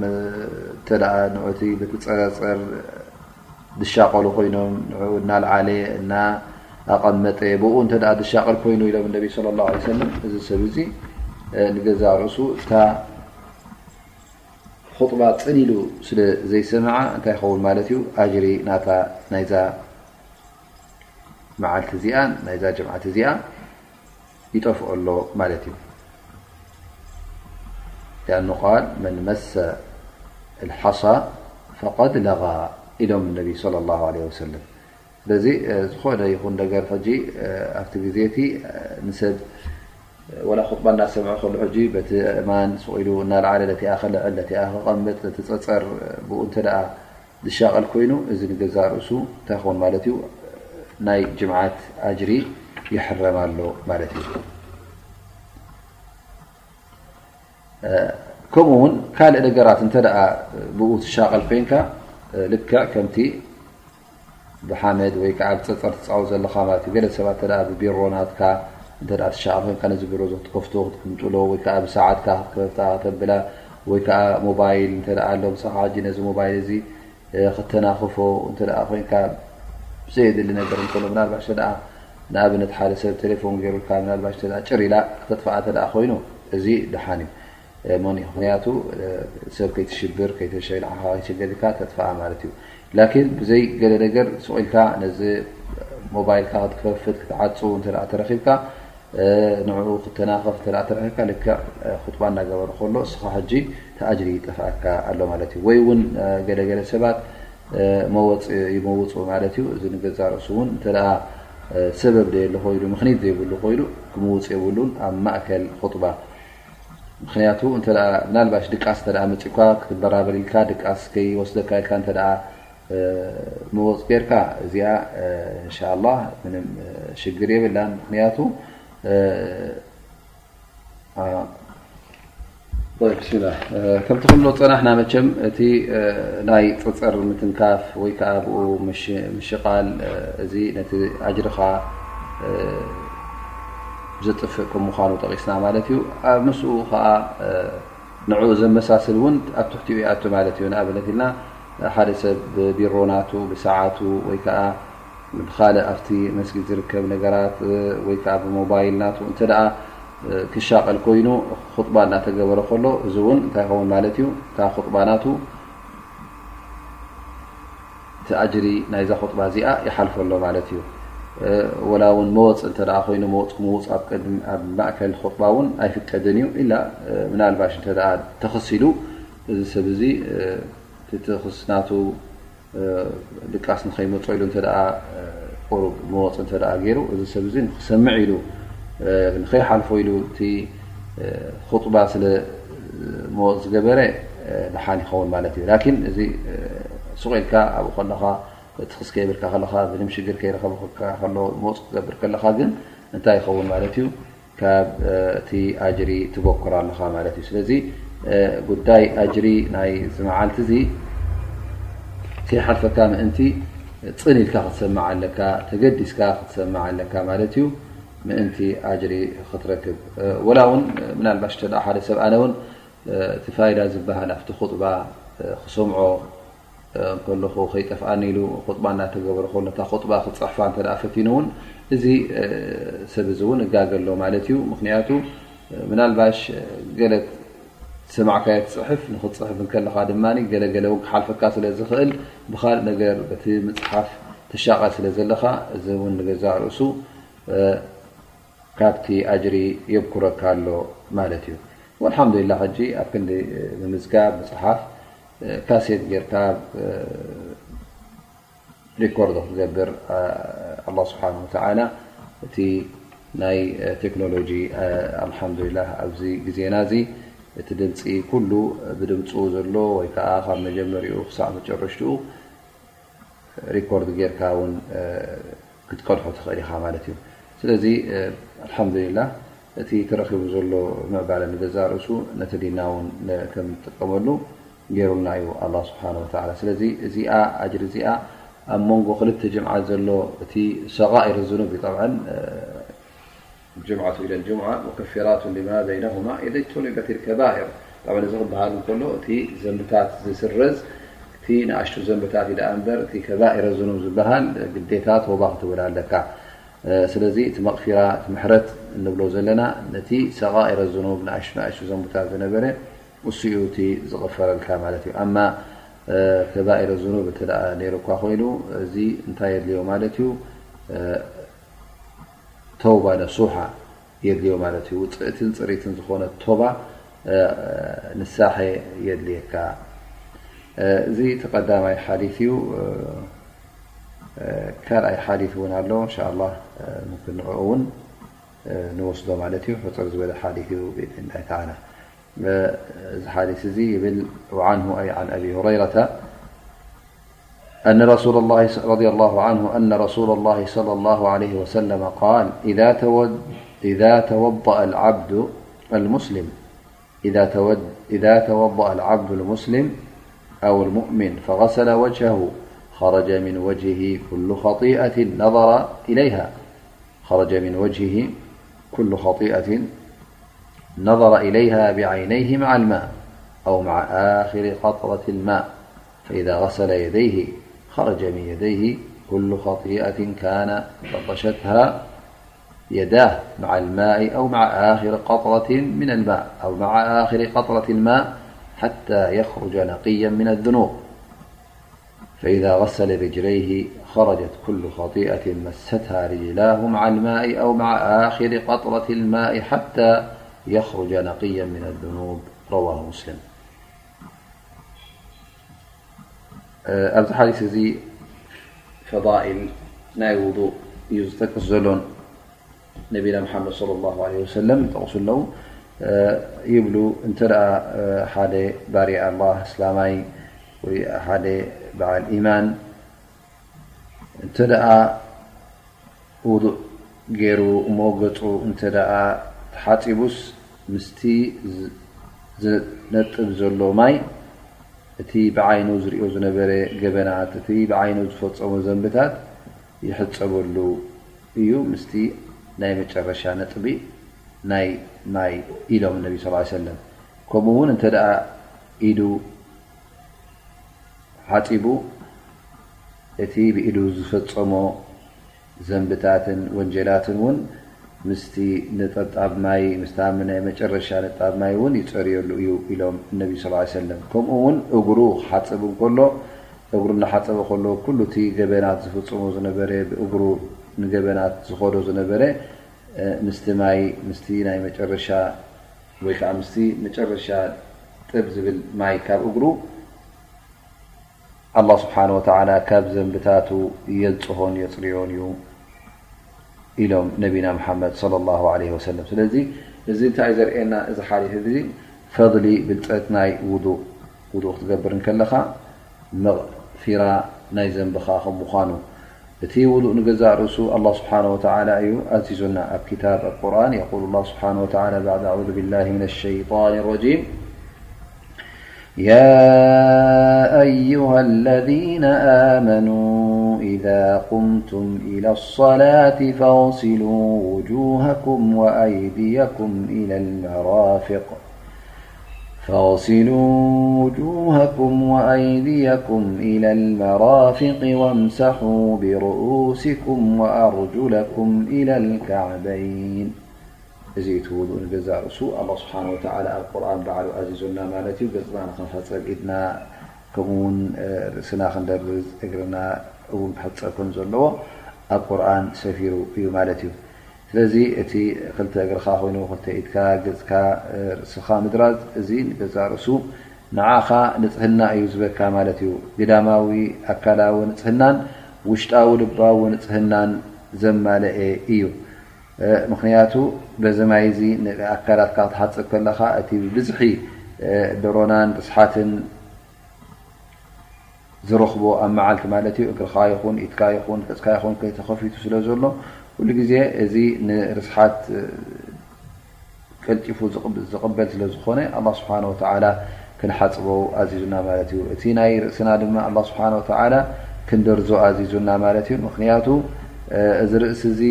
እንተ ንዑቲ በቲ ፀረፀር ዝሻቐሉ ኮይኖም ንዑ እናልዓለ እናኣቐመጠ ብኡ እንተ ዝሻቐል ኮይኑ ኢሎም ነቢ ለ ላ ሰለም እዚ ሰብ እዚ ንገዛ ርእሱ እታ ኹጥባ ፅን ኢሉ ስለ ዘይሰምዓ እንታይ ይኸውን ማለት እዩ? ኣጅሪ ናታ ናይዛ መዓልቲ እዚኣ ናይዛ ጀምዓት እዚኣ ይጠፍኦ ኣሎ ማለት እዩ። ሊኣኑ ቃል መን መሰ ልሓሳ ፈቀድ ለጋ ኢሎም ነቢ ለ ላ ለ ወሰለም። ስለዚ ዝኾነ ይኹን ነገር ሕጂ ኣብቲ ግዜ እቲ ንሰብ ወላ ኹጥባ እናሰምዐ ከሉ ሕጂ በቲ እማን ስቕ ኢሉ እናልዓለ ነቲኣ ክልዕል ነቲኣ ክቐምጥ ነቲ ፀፀር ብኡ እንተ ደኣ ዝሻቐል ኮይኑ እዚ ንገዛእ ርእሱ እንታይ ክኸውን ማለት እዩ? ናይ ጅምዓት ኣጅሪ ይሕረም ኣሎ ማለት እዩ። ከምኡ እውን ካልእ ነገራት እንተ ደኣ ብኡ ትሻቐል ኮይንካ ልክዕ ከምቲ ብሓመድ ወይ ከዓ ብፀፀር ትፃወት ዘለኻ ማለት እዩ። ገለ ሰባት እንተ ብቢሮ ናትካ እንተ ትሻቐል ኮይንካ ነዚ ቢሮ እዚ ክትከፍቶ ክትቅምጥሎ ወይ ከዓ ብሰዓትካ ክትከፍታ ከተብላ ወይ ከዓ ሞባይል እንተ ኣሎ ምሳኻ ሕጂ ነዚ ሞባይል እዚ ክተናኽፎ እንተ ኮይንካ ብዘየድሊ ነገር እንከሎ ምናልባሽ እንተ ንኣብነት ሓደ ሰብ ቴሌፎን ገይሩልካ ምናልባሽ እንተ ጭር ኢላ ክተጥፍኣ እንተ ኮይኑ እዚ ደሓን እዩ። መን ምክንያቱ ሰብ ከይትሽብር ከይተሸይ ንዓኻ ከይሸገር ኢልካ ተጥፍኣ ማለት እዩ። ላኪን ብዘይ ገለ ነገር ስቕ ኢልካ ነዚ ሞባይልካ ክትከፍት ክትዓፁ እንተ ተረኺብካ ንዕኡ ክተናኸፍ እንተ ተረኺብካ ልክዕ ኹጥባ እናገበረ ከሎ እስኻ ሕጂ ተኣጅሪ ይጠፍኣካ ኣሎ ማለት እዩ። ወይ እውን ገለገለ ሰባት መወፅ ይመውፁ ማለት እዩ። እዚ ንገዛ ርእሱ እውን እንተ ሰበብ ዘየለ ኮይኑ ምክኒት ዘይብሉ ኮይኑ ክምውፅ የብሉን ኣብ ማእከል ኹጥባ ምክንያቱ እንተ ምናልባሽ ድቃስ እንተ መፂእኳ ክትበራበር ኢልካ ድቃስ ከይወስደካ ኢልካ እንተ መወፅ ጌርካ እዚኣ እንሻላ ምንም ሽግር የብላን። ምክንያቱ ብስሚላ ከምቲ ክብሎ ፀናሕና መቸም እቲ ናይ ፀፀር ምትንካፍ ወይ ከዓ ብኡ ምሽቃል እዚ ነቲ ኣጅርኻ ዘጥፍእ ከም ምዃኑ ጠቂስና ማለት እዩ። ኣብ ምስኡ ከዓ ንዕኡ ዘመሳስል እውን ኣብ ትሕቲኡ ይኣቱ ማለት እዩ። ንኣብነት ኢልና ሓደ ሰብ ብቢሮ ናቱ ብሰዓቱ ወይ ከዓ ብካልእ ኣብቲ መስጊድ ዝርከብ ነገራት ወይ ከዓ ብሞባይል ናቱ እንተ ደኣ ክሻቐል ኮይኑ ኹጥባ እናተገበረ ከሎ እዚ እውን እንታይ ይኸውን ማለት እዩ? እታ ኹጥባ ናቱ እቲ ኣጅሪ ናይዛ ኹጥባ እዚኣ ይሓልፎ ኣሎ ማለት እዩ። ወላ እውን መወፅ እንተ ኮይኑ መወፅ ክምውፅ ኣብ ቅድሚ ኣብ ማእከል ኹጥባ እውን ኣይፍቀድን እዩ። ኢላ ምናልባሽ እንተ ተኽስ ኢሉ እዚ ሰብ እዚ እቲ ትኽስ ናቱ ድቃስ ንኸይመፆ ኢሉ እንተ ቁሩብ መወፅ እንተ ገይሩ እዚ ሰብ እዚ ንክሰምዕ ኢሉ ንኸይሓልፎ ኢሉ እቲ ኹጥባ ስለ መወፅ ዝገበረ ደሓን ይኸውን ማለት እዩ። ላኪን እዚ ስቕ ኢልካ ኣብኡ ከለኻ ትኽስ ከይብልካ ከለኻ ምንም ሽግር ከይረኸብካ ከሎ መወፅ ክትገብር ከለኻ ግን እንታይ ይኸውን ማለት እዩ? ካብ እቲ ኣጅሪ ትበኩር ኣለኻ ማለት እዩ። ስለዚ ጉዳይ ኣጅሪ ናይ እዚ መዓልቲ እዚ ከይሓልፈካ ምእንቲ ፅን ኢልካ ክትሰምዕ ኣለካ፣ ተገዲስካ ክትሰምዕ ኣለካ ማለት እዩ። ምእንቲ ኣጅሪ ክትረክብ ወላ እውን ምናልባሽ እንተ ሓደ ሰብ ኣነ እውን እቲ ፋይዳ ዝበሃል ኣብቲ ኹጥባ ክሰምዖ ከለኹ ከይጠፍኣኒ ኢሉ ኹጥባ እናተገበረ ከሎ እታ ኹጥባ ክፅሕፋ እንተ ፈቲኑ እውን እዚ ሰብ እዚ እውን እጋገ ኣሎ ማለት እዩ። ምክንያቱ ምናልባሽ ገለ ዝሰማዕካዮ ትፅሕፍ ንክትፅሕፍ እንከለካ ድማ ገለገለ እውን ክሓልፈካ ስለ ዝኽእል ብካልእ ነገር በቲ ምፅሓፍ ትሻቐል ስለ ዘለካ እዚ እውን ንገዛእ ርእሱ ካብቲ ኣጅሪ የብኩረካ ኣሎ ማለት እዩ። ወልሓምዱሊላ ሕጂ ኣብ ክንዲ ምምዝጋብ ምፅሓፍ ካሴት ጌርካ ሪኮርድ ክትገብር ኣላ ስብሓን ወተዓላ እቲ ናይ ቴክኖሎጂ ኣልሓምዱሊላ ኣብዚ ግዜና እዚ እቲ ድምፂ ኩሉ ብድምፁ ዘሎ ወይ ከዓ ካብ መጀመሪኡ ክሳዕ መጨረሽትኡ ሪኮርድ ጌርካ እውን ክትቀድሖ ትኽእል ኢኻ ማለት እዩ። ስለዚ ኣልሓምዱሊላ እቲ ተረኺቡ ዘሎ ምዕባለ ንገዛእ ርእሱ ነቲ ዲንና እውን ከም ንጥቀመሉ ገይሩልና እዩ ኣላህ ስብሓነ ወተዓላ። ስለዚ እዚኣ ኣጅሪ እዚኣ ኣብ መንጎ ክልተ ጅምዓት ዘሎ እቲ ሰጋኢር ዝኑብ እዩ። ጠብዓን ጅምዓቱ ኢለ ጅምዓ ሙከፊራቱ ሊማ በይነሁማ ኢዘ ጅቱኒበት ልከባኢር። ጠብዓን እዚ ክበሃል እንከሎ እቲ ዘንብታት ዝስረዝ እቲ ንኣሽቱ ዘንብታት እዩ ደኣ እምበር እቲ ከባኢረ ዝኑብ ዝበሃል ግዴታ ተውባ ክትብል ኣለካ። ስለዚ እቲ መቕፊራ እቲ ምሕረት እንብሎ ዘለና ነቲ ሰጋኢረ ዝኑብ ንኣሽቱ ንኣሽቱ ዘንብታት ዝነበረ እሱ እዩ እቲ ዝቕፈረልካ ማለት እዩ። ኣማ ከባኢረ ዝኑብ እንተ ደኣ ነይሩ እኳ ኮይኑ እዚ እንታይ የድልዮ ማለት እዩ? ተውባ ነሱሓ የድልዮ ማለት እዩ። ውፅእትን ፅሪትን ዝኾነት ቶባ ንሳሐ የድልየካ። እዚ እቲ ቀዳማይ ሓዲት እዩ። ካልኣይ ሓዲት እውን ኣሎ እንሻ ኣላህ፣ ምምክን ንዕኡ እውን ንወስዶ ማለት እዩ። ሕፅር ዝበለ ሓዲት እዩ ብኢዝኒላሂ ተዓላ። እዚ ሓዲስ እዚ ይብል፣ وعنه أي عن أبي هريرة أن رسول الله رضي الله عنه أن رسول الله صلى الله عليه وسلم قال: إذا تود إذا توضأ العبد المسلم إذا تود إذا توضأ العبد المسلم أو المؤمن فغسل وجهه خرج من وجهه كل خطيئة نظر إليها خرج من وجهه كل خطيئة نظر إليها بعينيه مع الماء أو مع آخر قطرة الماء، فإذا غسل يديه خرج من يديه كل خطيئة كان بطشتها يداه مع الماء أو مع آخر قطرة من الماء أو مع آخر قطرة الماء حتى يخرج نقيا من الذنوب. فإذا غسل رجليه خرجت كل خطيئة مستها رجلاه مع الماء أو مع آخر قطرة الماء حتى يخرج نقيا من الذنوب. رواه مسلم. ኣብዚ ሓዲስ እዚ ፈዳኢል ናይ ውዱእ እዩ ዝጠቅስ ዘሎን ነቢና መሓመድ ሰለላሁ ዐለይሂ ወሰለም ይጠቕሱ ኣለዉ። ይብሉ፣ እንተ ደኣ ሓደ ባርያ ኣላህ እስላማይ ወይ ሓደ በዓል ኢማን እንተ ደኣ ውዱእ ገይሩ እሞ ገጹ እንተ ደኣ ተሓጺቡስ ምስቲ ዝነጥብ ዘሎ ማይ እቲ ብዓይኑ ዝርእዮ ዝነበረ ገበናት፣ እቲ ብዓይኑ ዝፈጸሞ ዘንብታት ይሕጸበሉ እዩ ምስቲ ናይ መጨረሻ ነጥቢ ናይ ማይ ኢሎም ነቢ ስ ሰለም። ከምኡ እውን እንተ ደኣ ኢዱ ሓጺቡ እቲ ብኢዱ ዝፈጸሞ ዘንብታትን ወንጀላትን እውን ምስቲ ነጠብጣብ ማይ ምስታ ናይ መጨረሻ ነጣብ ማይ እውን ይጸርየሉ እዩ ኢሎም ነቢ ስ ሰለም። ከምኡ እውን እግሩ ክሓጽብ እንከሎ እግሩ እናሓጸበ ከሎ ኩሉ እቲ ገበናት ዝፍጽሞ ዝነበረ ብእግሩ ንገበናት ዝኸዶ ዝነበረ ምስቲ ማይ ምስቲ ናይ መጨረሻ ወይ ከዓ ምስቲ መጨረሻ ጥብ ዝብል ማይ ካብ እግሩ ኣላህ ስብሓን ወተዓላ ካብ ዘንብታቱ የንፅሆን የፅርዮን እዩ ኢሎም ነቢና መሓመድ ሰለላሁ ዐለይሂ ወሰለም። ስለዚ እዚ እንታይ እዩ ዘርእየና? እዚ ሓዲስ እዚ ፈድሊ ብልፀት ናይ ውዱእ፣ ውዱእ ክትገብር እንከለኻ መቕፊራ ናይ ዘንብኻ ከም ምዃኑ፣ እቲ ውዱእ ንገዛእ ርእሱ ኣላህ ስብሓን ወተዓላ እዩ ኣዚዙና። ኣብ ክታብ ኣብ ቁርኣን የቁል ኣላህ ስብሓን ወተዓላ ባዕድ ኣዑዙ ቢላሂ ሚነ ሸይጣን ረጂም يا أيها الذين آمنوا إذا قمتم إلى الصلاة فاغسلوا وجوهكم وأيديكم إلى المرافق فاغسلوا وجوهكم وأيديكم إلى المرافق وامسحوا برؤوسكم وأرجلكم إلى الكعبين. እዚ እቲ ውዱእ ንገዛእ ርእሱ ኣላህ ስብሓን ወተዓላ ኣብ ቁርኣን ባዕሉ ኣዚዙና ማለት እዩ። ገጽና ንኽንሕጸብ፣ ኢድና ከምኡ እውን ርእስና ክንደርዝ፣ እግርና እውን ክሕጸብ ከም ዘለዎ ኣብ ቁርኣን ሰፊሩ እዩ ማለት እዩ። ስለዚ እቲ ክልተ እግርኻ ኮይኑ ክልተ ኢድካ፣ ገጽካ፣ ርእስኻ ምድራዝ እዚ ንገዛእ ርእሱ ንዓኻ ንጽህና እዩ ዝበካ ማለት እዩ። ግዳማዊ ኣካላዊ ንጽህናን ውሽጣዊ ልባዊ ንጽህናን ዘማለኤ እዩ። ምኽንያቱ በዚ ማይ እዚ ንኣካላትካ ክትሓጽብ ከለኻ እቲ ብብዝሒ ደሮናን ርስሓትን ዝረኽቦ ኣብ መዓልቲ ማለት እዩ፣ እግርኻ ይኹን ኢድካ ይኹን ገጽካ ይኹን ከይተኸፊቱ ስለ ዘሎ ኩሉ ግዜ እዚ ንርስሓት ቀልጢፉ ዝቕበል ስለ ዝኾነ ኣላህ ስብሓነ ወተዓላ ክንሓፅቦ ኣዚዙና ማለት እዩ። እቲ ናይ ርእስና ድማ ኣላህ ስብሓነ ወተዓላ ክንደርዞ ኣዚዙና ማለት እዩ። ምኽንያቱ እዚ ርእሲ እዚ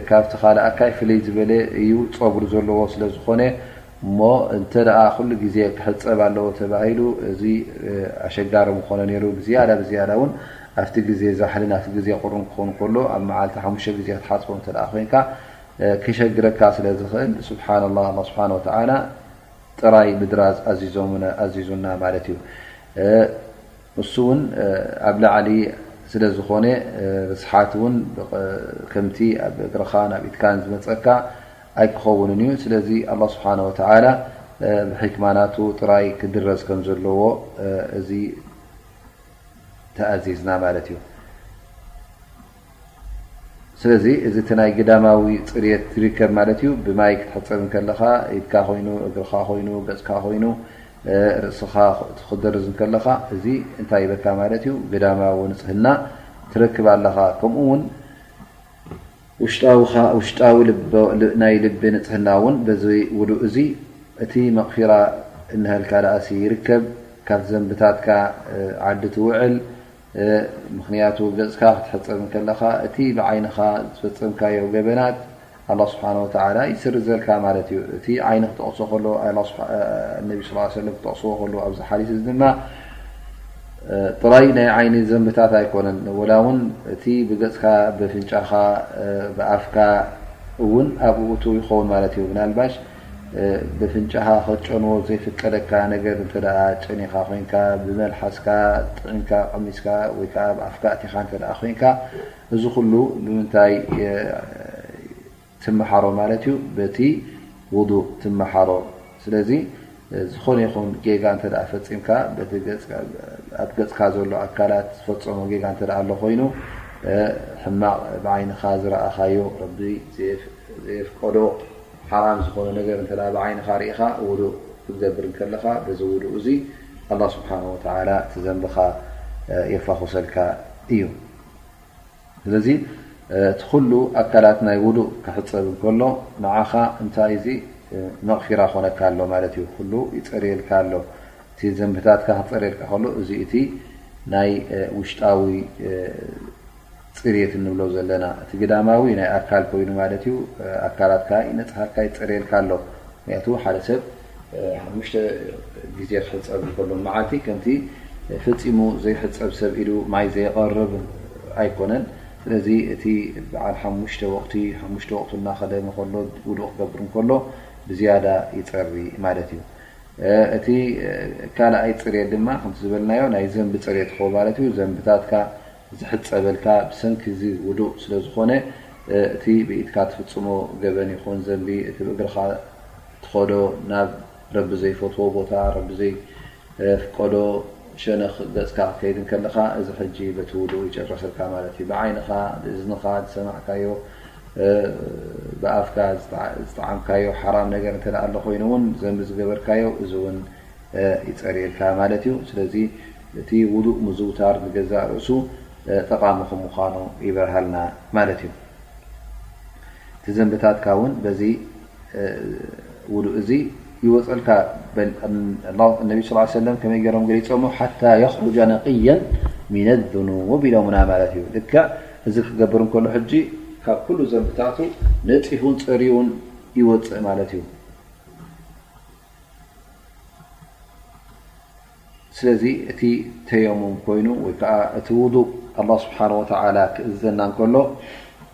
ካብቲ ካልእ ኣካይ ፍልይ ዝበለ እዩ፣ ፀጉሪ ዘለዎ ስለ ዝኾነ እሞ እንተ ደኣ ኩሉ ግዜ ክሕፀብ ኣለዎ ተባሂሉ እዚ ኣሸጋሪ ምኾነ ነይሩ። ብዝያዳ ብዝያዳ እውን ኣብቲ ግዜ ዛሕልን ኣብቲ ግዜ ቁርን ክኾን ከሎ ኣብ መዓልቲ ሓሙሽተ ግዜ ክትሓፅቦ እንተ ደኣ ኮይንካ ክሸግረካ ስለ ዝኽእል ስብሓንላህ ኣላህ ስብሓን ወተዓላ ጥራይ ምድራዝ ኣዚዙና ማለት እዩ። እሱ እውን ኣብ ላዕሊ ስለ ዝኾነ ርስሓት እውን ከምቲ ኣብ እግርኻን ኣብ ኢድካን ዝመፀካ ኣይክኸውንን እዩ። ስለዚ ኣላህ ስብሓነ ወተዓላ ብሕክማ ናቱ ጥራይ ክድረዝ ከም ዘለዎ እዚ ተኣዚዝና ማለት እዩ። ስለዚ እዚ እቲ ናይ ግዳማዊ ፅርየት ይርከብ ማለት እዩ። ብማይ ክትሕፀብ እንከለኻ ኢድካ ኮይኑ፣ እግርኻ ኮይኑ፣ ገፅካ ኮይኑ፣ ርእስኻ ክትደርዝ እንከለኻ እዚ እንታይ ይበካ ማለት እዩ? ግዳማዊ ንፅህና ትረክብ ኣለኻ። ከምኡ እውን ውሽጣዊ ልቢ ናይ ልቢ ንፅህና እውን በዚ ውዱእ እዚ እቲ መቕፊራ እንሀልካ ደኣሲ ይርከብ። ካብ ዘንብታትካ ዓዲ ትውዕል። ምኽንያቱ ገፅካ ክትሕፀብ እንከለኻ እቲ ብዓይንኻ ዝፈፀምካዮ ገበናት ኣላህ ስብሓን ወተዓላ ይስርዘልካ ማለት እዩ። እቲ ዓይኒ ክጠቕሶ ከሎ ነቢ ስ ሰለም ክጠቕስዎ ከሎ ኣብዚ ሓዲስ እዚ ድማ ጥራይ ናይ ዓይኒ ዘንብታት ኣይኮነን፣ ወላ እውን እቲ ብገፅካ ብፍንጫኻ ብኣፍካ እውን ኣብኡ እቱ ይኸውን ማለት እዩ። ምናልባሽ ብፍንጫኻ ክትጨንዎ ዘይፍቀደካ ነገር እንተ ጨኒኻ ኮይንካ ብመልሓስካ ጥዒምካ ቀሚስካ ወይ ከዓ ብኣፍካ እቲኻ እንተ ኮይንካ እዚ ኩሉ ብምንታይ ትመሓሮ ማለት እዩ? በቲ ውዱእ ትመሓሮ። ስለዚ ዝኾነ ይኹን ጌጋ እንተ ፈፂምካ በቲ ኣብ ገፅካ ዘሎ ኣካላት ዝፈፀሞ ጌጋ እንተ ኣሎ ኮይኑ ሕማቕ ብዓይንኻ ዝረኣኻዮ ረቢ ዘየፍቀዶ ሓራም ዝኾነ ነገር እንተ ብዓይንኻ ርኢኻ ውዱእ ክትገብር እንከለኻ በዚ ውዱእ እዚ ኣላህ ስብሓን ወተዓላ እቲ ዘንብኻ የፋኹሰልካ እዩ። ስለዚ እቲ ኩሉ ኣካላት ናይ ውዱእ ክሕፀብ እንከሎ ንዓኻ እንታይ እዚ መቕፊራ ኮነካ ኣሎ ማለት እዩ። ኩሉ ይፀርየልካ ኣሎ። እቲ ዘንብታትካ ክፀርየልካ ከሎ እዚ እቲ ናይ ውሽጣዊ ፅርየት እንብሎ ዘለና እቲ ግዳማዊ ናይ ኣካል ኮይኑ ማለት እዩ። ኣካላትካ ይነፅሃልካ ይፀርየልካ ኣሎ። ምክንያቱ ሓደ ሰብ ሓሙሽተ ግዜ ክሕፀብ እንከሎ መዓልቲ ከምቲ ፈፂሙ ዘይሕፀብ ሰብ ኢሉ ማይ ዘይቐርብ ኣይኮነን። ስለዚ እቲ በዓል ሓሙሽተ ወቕቲ ሓሙሽተ ወቕቱ እናኸደ እንከሎ ውዱእ ክገብር እንከሎ ብዝያዳ ይፀሪ ማለት እዩ። እቲ ካልኣይ ፅርየት ድማ ከምቲ ዝበልናዮ ናይ ዘንቢ ፅርየት ክኸውን ማለት እዩ። ዘንብታትካ ዝሕፀበልካ ብሰንኪ እዚ ውዱእ ስለ ዝኾነ እቲ ብኢድካ ትፍፅሞ ገበን ይኹን ዘንቢ እቲ ብእግርኻ ትኸዶ ናብ ረቢ ዘይፈትዎ ቦታ ረቢ ዘይፍቀዶ ሸነኽ ገፅካ ክትከይድ እንከለኻ እዚ ሕጂ በቲ ውዱእ ይጨርሰልካ ማለት እዩ። ብዓይንኻ ብእዝንኻ ዝሰማዕካዮ ብኣፍካ ዝጠዓምካዮ ሓራም ነገር እንተ ኣሎ ኮይኑ እውን ዘንቢ ዝገበርካዮ እዚ እውን ይፀርየልካ ማለት እዩ። ስለዚ እቲ ውዱእ ምዝውታር ንገዛእ ርእሱ ጠቓሚ ከም ምዃኑ ይበርሃልና ማለት እዩ። እቲ ዘንብታትካ እውን በዚ ውዱእ እዚ ይወፀልካ። ነቢ ስ ሰለም ከመይ ገይሮም ገሊፆሞ? ሓታ የኽሩጃ ነቅየን ሚነ ዙኑብ ኢሎምና ማለት እዩ። ልክዕ እዚ ክገብር እንከሎ ሕጂ ካብ ኩሉ ዘንብታቱ ነፂሁን ፀርዩን ይወፅእ ማለት እዩ። ስለዚ እቲ ተየሙም ኮይኑ ወይ ከዓ እቲ ውዱእ ኣላህ ስብሓን ወተዓላ ክእዘና እንከሎ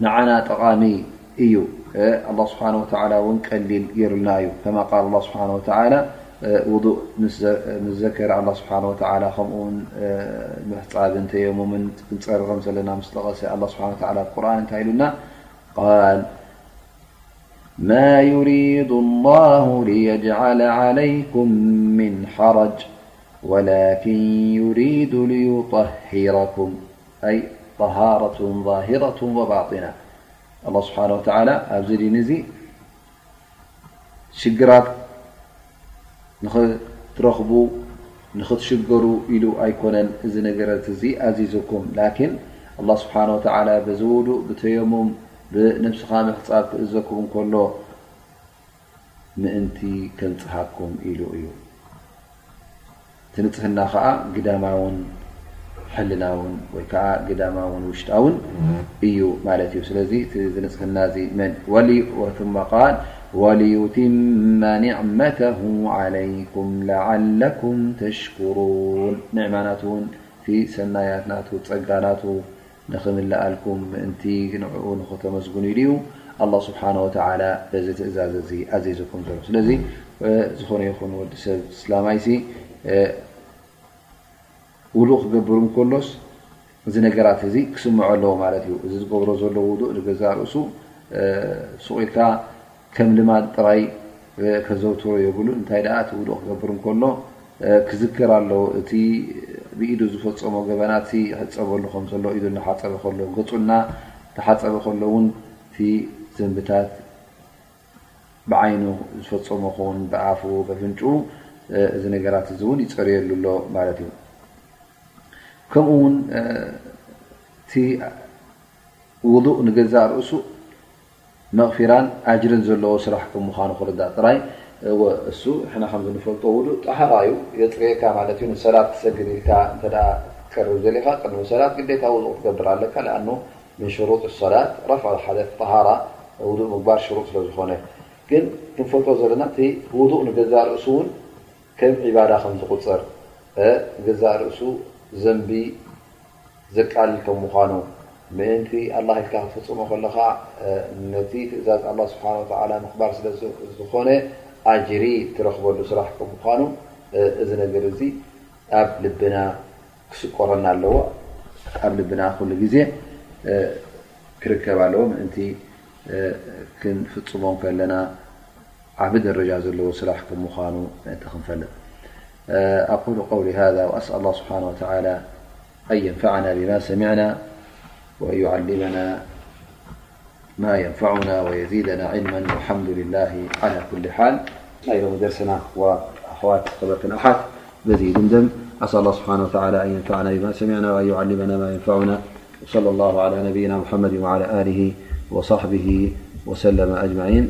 ንዓና ጠቓሚ እዩ። ኣላህ ስብሓን ወተዓላ እውን ቀሊል ገይሩልና እዩ። ከማ ቃል ኣላህ ስብሓን ወተዓላ ውዱእ ምስ ዘከረ ኣላህ ስብሓን ወተዓላ ከምኡ እውን ምሕፃብን ተየሙምን ክንፀሪ ከም ዘለና ምስ ጠቐሰ ኣላህ ስብሓን ወተዓላ ኣብ ቁርኣን እንታይ ኢሉና? ቃል ما يريد الله ليجعل عليكم من حرج ولكن يريد ليطهركم أي طهارة ظاهرة وباطنة. الله سبحانه وتعالى ኣብዚ ዲን እዚ ሽግራት ንኽትረኽቡ ንኽትሽገሩ ኢሉ ኣይኮነን እዚ ነገራት እዚ ኣዚዙኩም። ላኪን ኣላህ ስብሓነ ወተዓላ በዚ ውዱእ ብተየሙም ብነብስኻ ምሕፃብ ክእዘኩም እንከሎ ምእንቲ ከንጽሃኩም ኢሉ እዩ። እቲ ንጽህና ኸኣ ግዳማውን ሕልናውን ወይ ከኣ ግዳማውን ውሽጣውን እዩ ማለት እዩ። ስለዚ እቲ ንጽህና እዚ መን ወሊ ወ ثم قال وليتم نعمته عليكم لعلكم تشكرون ንዕማ ናቱ እውን እቲ ሰናያት ናቱ ጸጋ ናቱ ንኽምልኣልኩም ምእንቲ ንዕኡ ንኽተመስግኑ ኢሉ እዩ ኣላህ ስብሓነ ወተዓላ በዚ ትእዛዝ እዚ ኣዚዙኩም ዘሎ። ስለዚ ዝኾነ ይኹን ወዲ ሰብ እስላማይሲ ውዱእ ክገብር እንከሎስ እዚ ነገራት እዚ ክስምዖ ኣለዎ ማለት እዩ። እዚ ዝገብሮ ዘሎ ውዱእ ንገዛእ ርእሱ ሱቕ ኢልካ ከም ልማድ ጥራይ ከዘውትሮ የብሉን። እንታይ ደኣ እቲ ውዱእ ክገብር እንከሎ ክዝክር ኣለዎ። እቲ ብኢዱ ዝፈጸሞ ገበናት ይሕጸበሉ ከም ዘሎ፣ ኢዱ እናሓጸበ ከሎ፣ ገጹ እናተሓጸበ ከሎ እውን እቲ ዘንብታት ብዓይኑ ዝፈጸሞ ክውን ብኣፉ በፍንጩ እዚ ነገራት እዚ እውን ይጸርየሉ ኣሎ ማለት እዩ። ከምኡ እውን እቲ ውዱእ ንገዛእ ርእሱ መቕፊራን ኣጅርን ዘለዎ ስራሕ ከም ምዃኑ ክርዳእ ጥራይ። እወ፣ እሱ ንሕና ከም ዝንፈልጦ ውዱእ ጠሃራ እዩ፣ የጽርየካ ማለት እዩ። ንሰላት ክሰግድ ኢልካ እንተ ደኣ ክትቀርብ ዘሊኻ ቅድሚ ሰላት ግዴታ ውዱእ ክትገብር ኣለካ። ለኣኑ ምን ሽሩጥ ሰላት ረፍዕ ሓደት ጠሃራ፣ ውዱእ ምግባር ሽሩጥ ስለ ዝኾነ። ግን ክንፈልጦ ዘለና እቲ ውዱእ ንገዛእ ርእሱ እውን ከም ዒባዳ ከም ዝቑጸር፣ እ፣ ንገዛእ ርእሱ ዘንቢ ዘቃልል ከም ምዃኑ፣ ምእንቲ ኣላህ ኢልካ ክትፍጽሞ ከለኻ፣ እ፣ ነቲ ትእዛዝ ኣላህ ስብሓነ ወተዓላ ምኽባር ስለ ዝ-፣ ዝኾነ ኣጅሪ ትረኽበሉ ስራሕ ከም ምዃኑ፣ እ፣ እዚ ነገር እዚ ኣብ ልብና ክስቆረና ኣለዎ። ኣብ ልብና ኩሉ ግዜ፣ እ፣ ክርከብ ኣለዎ። ምእንቲ፣ እ፣ ክንፍጽሞ ከለና ዓቢ ደረጃ ዘለዎ ስራሕ ከም ምዃኑ ምእንቲ ክንፈልጥ። أقول قولي هذا وأسأل الله سبحانه وتعالى أن ينفعنا بما سمعنا وأن يعلمنا ما ينفعنا ويزيدنا علما والحمد لله على كل حال. ናይ ሎሚ ደርስና ወኣሕዋት ኸበርትን ኣሓት በዚ ይድምደም። أسأل الله سبحانه وتعالى أن ينفعنا بما سمعنا وأن يعلمنا ما ينفعنا. وصلى الله على نبينا محمد وعلى آله وصحبه وسلم أجمعين.